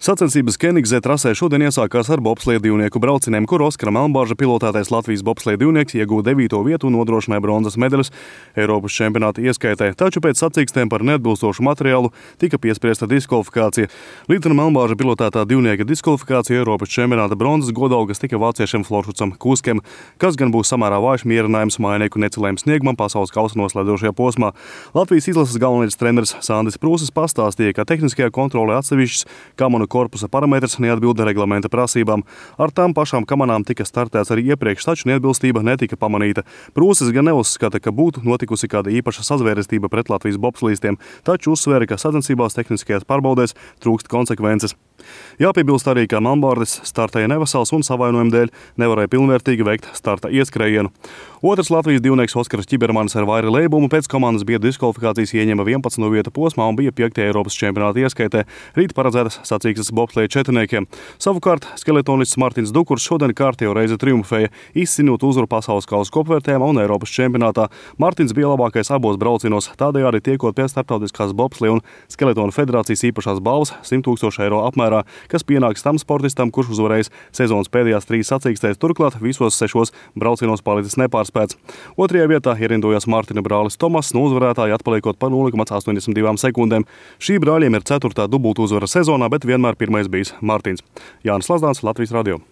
Sacensības Kenigzē trasē šodien iesākās ar bobsleja divnieku braucieniem, kur Oskara Melnbārža pilotētais Latvijas bobsleja divnieks iegūda 9. vietu un nodrošināja bronzas medaļas Eiropas čempionāta ieskaitē, taču pēc sacīkstēm par neatbilstošu materiālu tika piespriesta diskvalifikācija. Līdz Melnbārža pilotētā divnieka diskvalifikācija Eiropas čempionāta bronzas godalgas tika vāciešiem Flošucam Kuskem, kas gan būs samērā vājš mierinājums mainieku necilējuma sniegumam pasaules kausa noslēdzošajā posmā. Latvijas izlases galvenais treneris Sandis Prūsis pastāstīja, ka tehniskajā kontrolē atsevišķs kamanu korpusa parametrs neatbilda reglamenta prasībām. Ar tām pašām kamanām tika startēts arī iepriekš, taču neatbilstība netika pamanīta. Prūsis gan neuzskata, ka būtu notikusi kāda īpaša sazvērestība pret Latvijas bobslīstiem, taču uzsvēra, ka sacensībās tehniskajās pārbaudēs trūkst konsekvences. Jāpiebilst arī, ka Melnbārdis startēja nevesels un savainojumu dēļ nevarēja pilnvērtīgi veikt starta ieskrējienu. Otrs Latvijas divnieks Oskars Čibermanis ar vairi lēbumu pēc komandas biedru diskvalifikācijas ieņēma 11. vietu posmā un bija 5. Eiropas čempionāta ieskaitē, rīt paredzētas sacīkstes bobsleja četrniekiem. Savukārt skeletonists Martins Dukurs šodien kārtējo reizi triumfēja, izcinot uzvaru pasaules kausa kopvērtējumā un Eiropas čempionātā. Martins bija labākais abos braucienos, tādējādi tiekot pie Starptautiskās bobsleja un skeletona federācijas īpašās balvas 100,000 eiro apmērā, kas pienāks tam sportistam, kurš uzvarējis sezonas pēdējās 3 sacīkstēs, turklāt visos 6 braucienos palicis nepārspēts. Otrajā vietā ierindojās Mārtiņa brālis Tomas, no uzvarētāja atpaliekot par 0,82 sekundēm. Šī brāļiem ir 4. dubultu uzvara sezonā, bet vienmēr pirmais bijis Mārtiņš. Jānis Lazdāns, Latvijas radio.